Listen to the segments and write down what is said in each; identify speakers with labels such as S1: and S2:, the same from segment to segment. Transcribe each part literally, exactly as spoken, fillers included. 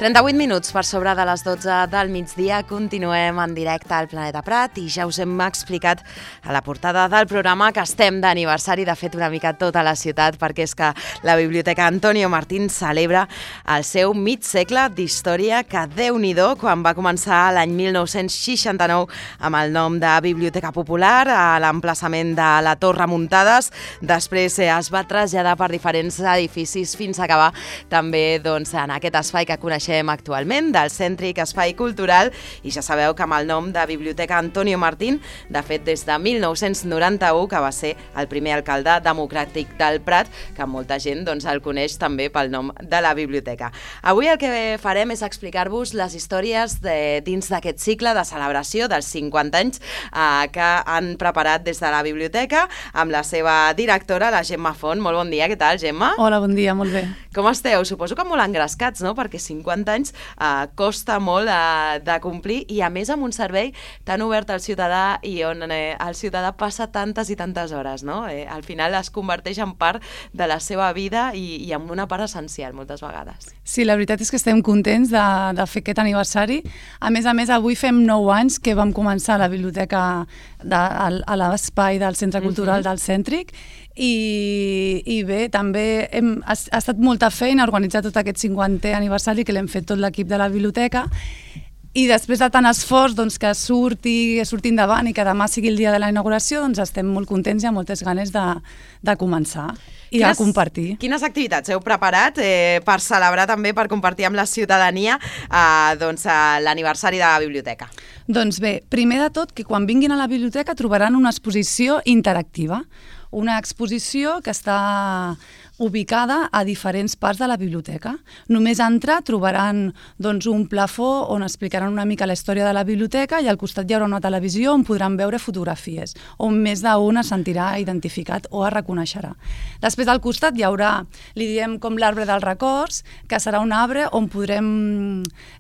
S1: trenta-vuit minuts per sobre de les dotze del migdia. Continuem en directe al Planeta Prat i ja us hem explicat a la portada del programa que estem d'aniversari, de fet una mica tota la ciutat, perquè és que la Biblioteca Antonio Martín celebra el seu mig segle d'història, que Déu-n'hi-do, quan va començar l'any mil nou-cents seixanta-nou amb el nom de Biblioteca Popular a l'emplaçament de la Torre Muntades. Després es va traslladar per diferents edificis fins a acabar també doncs, en aquest espai que coneixem actualment, del cèntric espai cultural, i ja sabeu que amb el nom de Biblioteca Antonio Martín, de fet des de mil nou-cents noranta-u, que va ser el primer alcalde democràtic del Prat, que molta gent doncs, el coneix també pel nom de la biblioteca. Avui el que farem és explicar-vos les històries de, dins d'aquest cicle de celebració dels cinquanta anys eh, que han preparat des de la biblioteca amb la seva directora, la Gemma Font. Molt bon dia, què tal, Gemma?
S2: Hola, bon dia, molt bé.
S1: Com esteu? Suposo que molt engrescats, no? Perquè cinquanta anys eh, costa molt eh, de complir, i a més amb un servei tan obert al ciutadà i on eh, el ciutadà passa tantes i tantes hores, no? Eh, al final es converteix en part de la seva vida i, i en una part essencial moltes vegades.
S2: Sí, la veritat és que estem contents de, de fer aquest aniversari. A més a més, avui fem nou anys que vam començar la biblioteca de, a, a l'espai del Centre Cultural uh-huh. del Cèntric, i, i bé, també hem, ha, ha estat molta feina organitzar tot aquest cinquantè aniversari, que l'hem fet tot l'equip de la biblioteca, i després de tant esforç doncs, que surti, que surti endavant i que demà sigui el dia de la inauguració, doncs estem molt contents i amb moltes ganes de, de començar i quines, de compartir.
S1: Quines activitats heu preparat eh, per celebrar també, per compartir amb la ciutadania eh, doncs, l'aniversari de la biblioteca?
S2: Doncs bé, primer de tot, que quan vinguin a la biblioteca trobaran una exposició interactiva, una exposició que està ubicada a diferents parts de la biblioteca. Només a entrar trobaran doncs, un plafó on explicaran una mica la història de la biblioteca, i al costat hi haurà una televisió on podran veure fotografies, on més d'un es sentirà identificat o es reconeixerà. Després al costat hi haurà, li diem com l'arbre dels records, que serà un arbre on podrem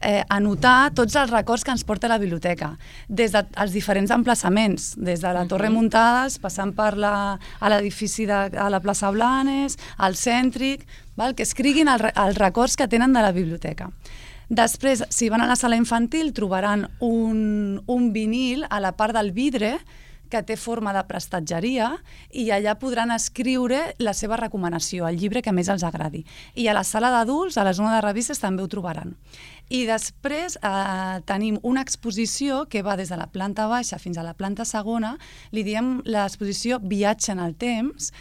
S2: eh, anotar tots els records que ens porta la biblioteca, des dels diferents emplaçaments, des de la Torre Muntades, passant per la, a l'edifici de a la plaça Blanes, al cèntric, val? Que escriguin el, els records que tenen de la biblioteca. Després, si van a la sala infantil, trobaran un, un vinil a la part del vidre que té forma de prestatgeria, i allà podran escriure la seva recomanació, el llibre que més els agradi. I a la sala d'adults, a la zona de revistes, també ho trobaran. I després eh, tenim una exposició que va des de la planta baixa fins a la planta segona, li diem l'exposició Viatge en el temps,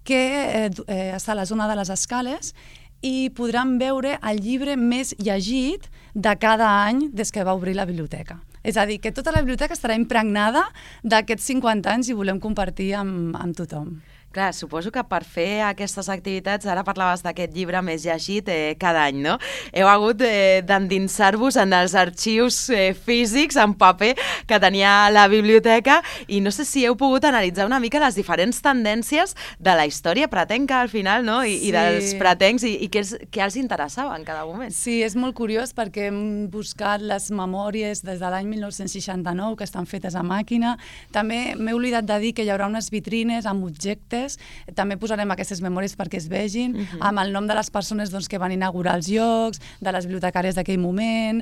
S2: que eh, eh, està a la zona de les escales, i podran veure el llibre més llegit de cada any des que va obrir la biblioteca. És a dir, que tota la biblioteca estarà impregnada d'aquests cinquanta anys i volem compartir amb, amb tothom.
S1: Clar, suposo que per fer aquestes activitats, ara parlaves d'aquest llibre més llegit eh, cada any, no? Heu hagut eh, d'endinsar-vos en els arxius eh, físics, en paper, que tenia la biblioteca, i no sé si heu pogut analitzar una mica les diferents tendències de la història pratenca al final, no? I, sí. i dels pratencs, i, i què, els, què els interessava en cada moment.
S2: Sí, és molt curiós perquè hem buscat les memòries des de l'any mil nou-cents seixanta-nou, que estan fetes a màquina. També m'he oblidat de dir que hi haurà unes vitrines amb objectes. També posarem aquestes memòries perquè es vegin, uh-huh. amb el nom de les persones doncs, que van inaugurar els llocs, de les bibliotecàries d'aquell moment,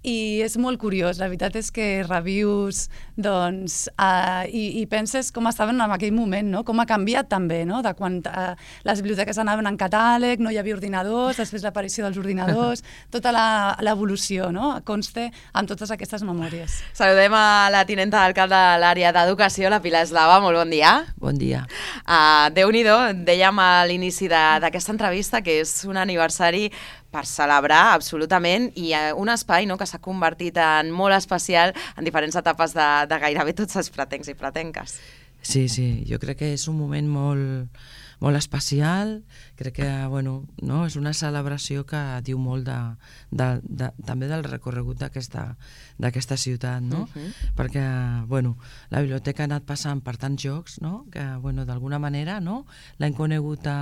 S2: i és molt curiós. La veritat és que revius doncs, uh, i, i penses com estaven en aquell moment, no? Com ha canviat també, no? De quan uh, les biblioteques anaven en catàleg, no hi havia ordinadors, després l'aparició dels ordinadors, tota l'evolució, no? Conste amb totes aquestes memòries.
S1: Saludem a la tinenta d'alcalde de l'àrea d'educació, la Pilar Eslava. Molt bon dia.
S3: Bon dia.
S1: Uh, Déu-n'hi-do, dèiem a l'inici d'aquesta entrevista que és un aniversari per celebrar absolutament, i un espai, no, que s'ha convertit en molt especial en diferents etapes de, de gairebé tots els pratencs i pratenques.
S3: Sí, sí, jo crec que és un moment molt, molt especial. Crec que bueno, no, és una celebració que diu molt de, de, de, també del recorregut d'aquesta ciutat, no? Uh-huh. Perquè bueno, la biblioteca ha anat passant per tants llocs, no? Que bueno, d'alguna manera, no? L'hem conegut a,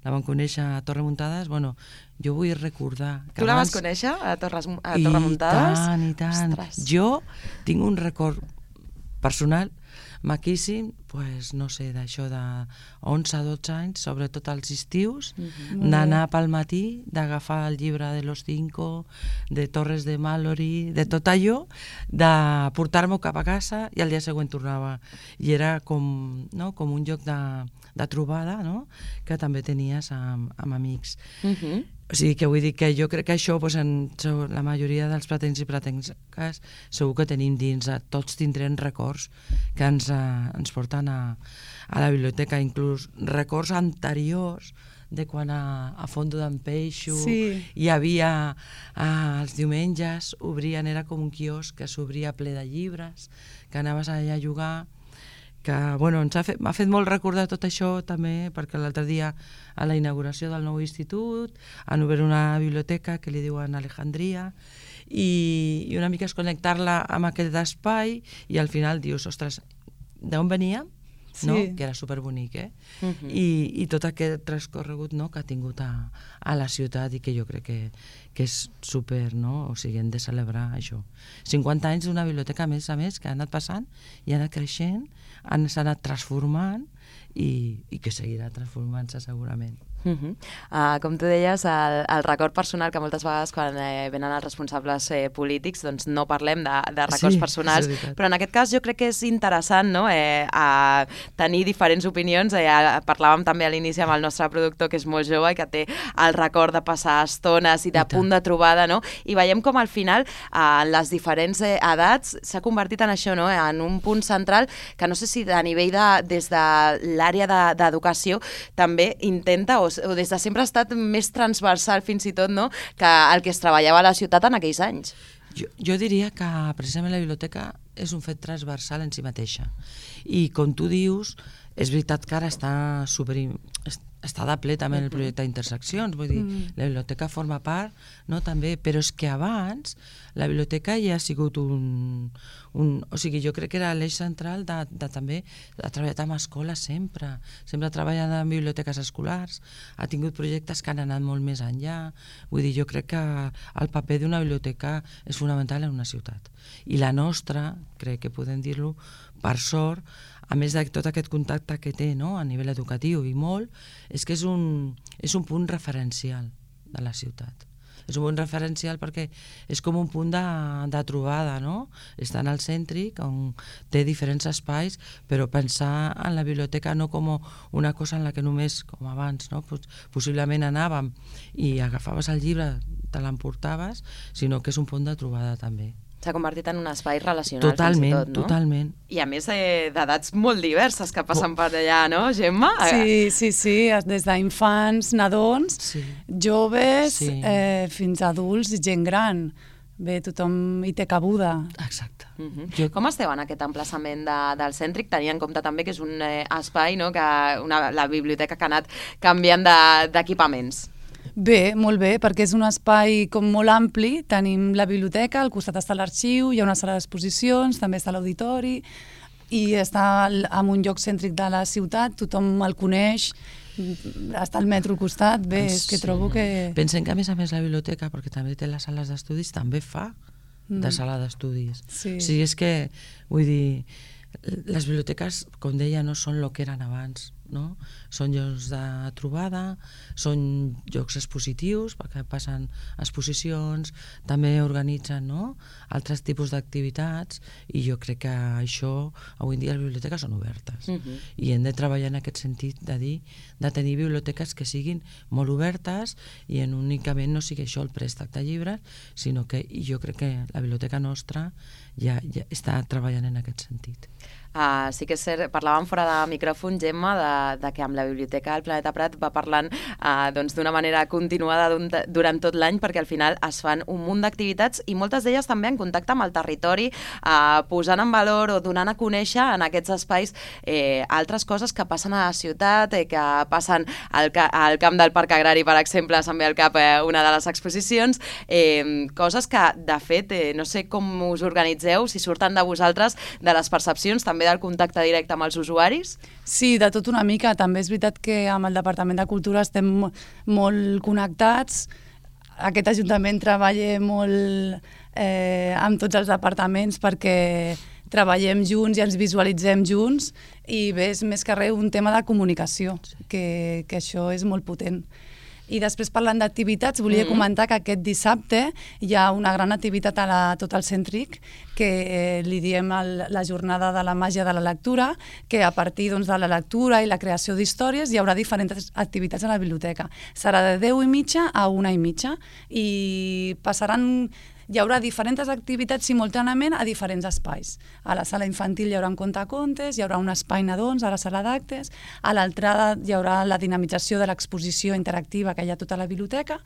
S3: la vam conèixer a Torre Muntades. Bueno, jo vull recordar que
S1: tu la
S3: abans...
S1: vas conèixer a Torre, a Torre Muntades?
S3: I tant, i tant. Ostres. Jo tinc un record personal maquíssim, pues, no sé, d'això de onze a dotze anys, sobretot als estius,
S2: Mm-hmm.
S3: d'anar pel matí, d'agafar el llibre de Los Cinco, de Torres de Mallory, de tot allò, de portar-m'ho cap a casa i al dia següent tornava. I era com, no? com un lloc de, de trobada, no? Que també tenies amb, amb amics.
S1: Uh-huh.
S3: O sigui, que vull dir que jo crec que això, doncs, en la majoria dels platencs i platenques segur que tenim dins, tots tindrem records que ens, eh, ens porten a, a la biblioteca, inclús records anteriors de quan a, a Fondo d'en Peixo
S2: Sí.
S3: hi havia eh, els diumenges, obrien, era com un quiosc que s'obria ple de llibres, que anaves allà a jugar, que bueno, ens ha fet, m'ha fet molt recordar tot això també, perquè l'altre dia a la inauguració del nou institut han obert una biblioteca que li diuen Alejandria i, i una mica és connectar-la amb aquest espai i al final dius, ostres, d'on veníem?
S2: Sí.
S3: No? Que era superbonic, eh?
S1: Uh-huh.
S3: I, i tot aquest transcorregut, no? que ha tingut a, a la ciutat i que jo crec que, que és super, no? O sigui, hem de celebrar això. cinquanta anys d'una biblioteca, a més a més, que ha anat passant i ha anat creixent, han, s'ha anat transformant i, i que seguirà transformant-se segurament.
S1: Uh-huh. Uh, com tu deies, el, el record personal, que moltes vegades quan eh, venen els responsables eh, polítics doncs no parlem de, de records
S3: Sí,
S1: personals,
S3: és veritat.
S1: però en aquest cas jo crec que és interessant, no? eh, a tenir diferents opinions. Eh, a, parlàvem també a l'inici amb el nostre productor, que és molt jove i que té el record de passar estones i de
S3: I
S1: punt de trobada, no? I veiem com al final eh, les diferents eh, edats s'ha convertit en això, no? En un punt central que no sé si a nivell de, des de l'àrea de, d'educació també intenta o o des de sempre ha estat més transversal fins i tot, no?, que el que es treballava a la ciutat en aquells anys.
S3: Jo, jo diria que precisament la biblioteca és un fet transversal en si mateixa. I com tu dius, és veritat que ara està super... està de ple també en el projecte d'Interseccions, vull dir, mm. la biblioteca forma part, no, també, però és que abans la biblioteca ja ha sigut un... un o sigui, jo crec que era l'eix central de, de també, ha treballat amb escoles sempre, sempre ha treballat en biblioteques escolars, ha tingut projectes que han anat molt més enllà, vull dir, jo crec que el paper d'una biblioteca és fonamental en una ciutat. I la nostra, crec que podem dir-lo, per sort, a més de tot aquest contacte que té, no?, a nivell educatiu i molt, és que és un, és un punt referencial de la ciutat. És un punt referencial perquè és com un punt de, de trobada, no? Està en el cèntric, on té diferents espais, però pensar en la biblioteca no com una cosa en la que només, com abans, no? Possiblement anàvem i agafaves el llibre, te l'emportaves, sinó que és un punt de trobada també.
S1: S'ha convertit en un espai relacional,
S3: totalment,
S1: fins i tot, no?
S3: Totalment.
S1: I a més eh, d'edats molt diverses que passen per allà, no, Gemma?
S2: Sí, sí, sí, des d'infants, nadons,
S3: Sí.
S2: joves,
S3: Sí.
S2: eh, fins a adults i gent gran. Bé, tothom hi té cabuda.
S3: Exacte.
S1: Uh-huh.
S3: Jo-
S1: Com esteu en aquest emplaçament de, del cèntric, tenint en compte també que és un eh, espai, no?, que una, la biblioteca que ha anat canviant de- d'equipaments?
S2: Bé, molt bé, perquè és un espai com molt ampli. Tenim la biblioteca, al costat està l'arxiu, hi ha una sala d'exposicions, també està l'auditori, i està al- en un lloc cèntric de la ciutat, tothom el coneix, està al metro al costat. Bé, és que
S3: Sí.
S2: trobo que...
S3: Pensem que a més a més la biblioteca, perquè també té les sales d'estudis, també fa de sala d'estudis.
S2: Sí.
S3: O sigui, és que, vull dir, les biblioteques, com deia, no són el que eren abans, no? Són llocs de trobada, són llocs expositius, perquè passen exposicions, també organitzen, no?, altres tipus d'activitats, i jo crec que això, avui en dia les biblioteques són obertes.
S1: Mhm.
S3: I hem de treballar en aquest sentit de dir, de tenir biblioteques que siguin molt obertes i en únicament no sigui això el préstec de llibres, sinó que i jo crec que la biblioteca nostra ja, ja està treballant en aquest sentit.
S1: Uh, sí que és cert, parlàvem fora de micròfon, Gemma, de, de que amb la Biblioteca del Planeta Prat va parlant uh, doncs, d'una manera continuada durant tot l'any, perquè al final es fan un munt d'activitats i moltes d'elles també en contacte amb el territori, uh, posant en valor o donant a conèixer en aquests espais eh, altres coses que passen a la ciutat, eh, que passen al, ca al camp del Parc Agrari, per exemple, se'n ve al cap eh, una de les exposicions, eh, coses que, de fet, eh, no sé com us organitzeu, si surten de vosaltres, de les percepcions, també del contacte directe amb els usuaris?
S2: Sí, de tot una mica. També és veritat que amb el Departament de Cultura estem mo- molt connectats. Aquest Ajuntament treballa molt eh, amb tots els departaments perquè treballem junts i ens visualitzem junts, i bé, és més que res un tema de comunicació, que, que això és molt potent. I després, parlant d'activitats, volia mm-hmm. comentar que aquest dissabte hi ha una gran activitat a la, tot el Cèntric, que eh, li diem el, la jornada de la màgia de la lectura, que a partir doncs, de la lectura i la creació d'històries hi haurà diferents activitats a la biblioteca. Serà de deu i mitja a una i mitja, i passaran... Hi haurà diferents activitats simultàniament a diferents espais. A la sala infantil hi haurà un contacontes, hi haurà un espai nadons a la sala d'actes, a l'entrada hi haurà la dinamització de l'exposició interactiva que hi ha a tota la biblioteca.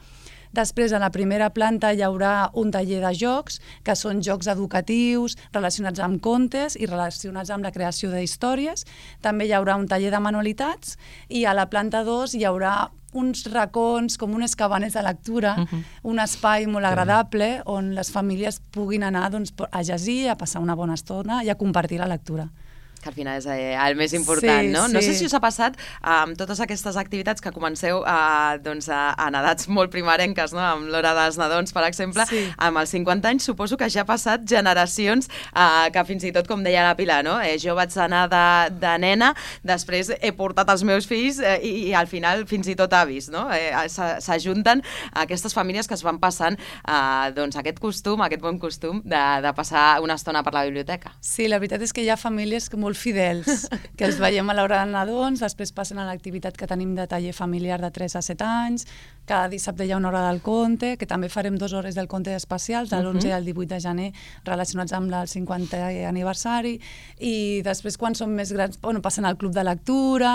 S2: Després, a la primera planta hi haurà un taller de jocs, que són jocs educatius relacionats amb contes i relacionats amb la creació d'històries. També hi haurà un taller de manualitats, i a la planta dos hi haurà uns racons, com unes cabanes de lectura, uh-huh. un espai molt agradable on les famílies puguin anar doncs, a llegir, a passar una bona estona i a compartir la lectura.
S1: Que al final és eh, el més important,
S2: sí,
S1: no?
S2: Sí.
S1: No sé si us ha passat amb um, totes aquestes activitats que comenceu uh, doncs, a, en edats molt primerenques, no? Amb l'hora dels nadons, per exemple, sí. Amb els cinquanta anys suposo que ja ha passat generacions uh, que fins i tot, com deia la Pilar, no? Eh, jo vaig anar de, de nena, després he portat els meus fills eh, i, i al final fins i tot avis, no? Eh, s'ajunten aquestes famílies que es van passant uh, doncs, aquest costum, aquest bon costum de, de passar una estona per la biblioteca.
S2: Sí, la veritat és que hi ha famílies que molt fidels, que els veiem a l'hora de nadons, després passen a l'activitat que tenim de taller familiar de tres a set anys, cada dissabte hi ha una hora del conte, que també farem dues hores del conte especials, de l'onze al divuit de gener, relacionats amb el cinquantè aniversari, i després, quan són més grans, bueno, passen al club de lectura,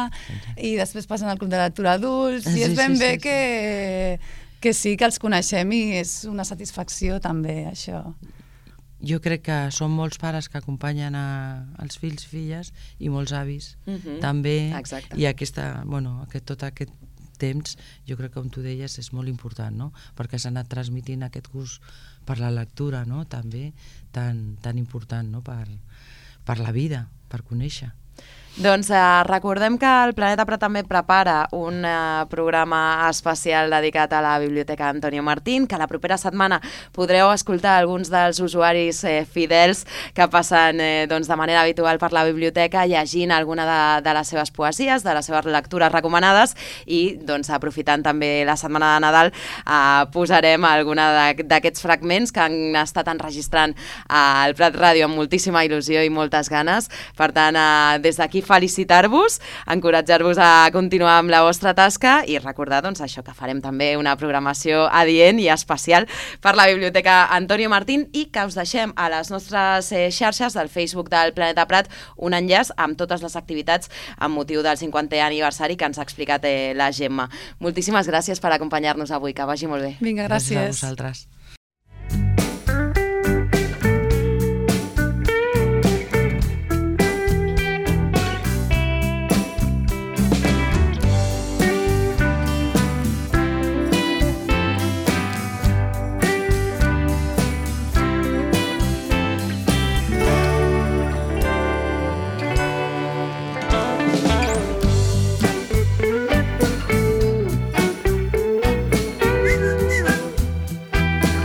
S2: i després passen al club de lectura adults, i és ben bé que, que sí, que els coneixem, i és una satisfacció també, això.
S3: Jo crec que són molts pares que acompanyen a, els fills, filles, i molts avis uh-huh. també. Exacte. I aquesta, bueno, aquest, tot aquest temps, jo crec que, com tu deies, és molt important, no? Perquè s'ha anat transmitint aquest gust per la lectura, no? També tan, tan important, no? Per, per la vida, per conèixer.
S1: Doncs eh, recordem que el Planeta Prat també prepara un eh, programa especial dedicat a la Biblioteca Antonio Martín, que la propera setmana podreu escoltar alguns dels usuaris eh, fidels que passen eh, doncs, de manera habitual per la biblioteca llegint alguna de, de les seves poesies, de les seves lectures recomanades, i doncs, aprofitant també la setmana de Nadal eh, posarem alguna d'aquests fragments que han estat enregistrant al Prat Ràdio amb moltíssima il·lusió i moltes ganes. Per tant, eh, des d'aquí felicitar-vos, encoratjar-vos a continuar amb la vostra tasca i recordar doncs, això, que farem també una programació adient i especial per la Biblioteca Antonio Martín, i que us deixem a les nostres eh, xarxes del Facebook del Planeta Prat un enllaç amb totes les activitats amb motiu del cinquantè aniversari que ens ha explicat eh, la Gemma. Moltíssimes gràcies per acompanyar-nos avui, que vagi molt bé.
S2: Vinga, gràcies.
S3: Gràcies a vosaltres.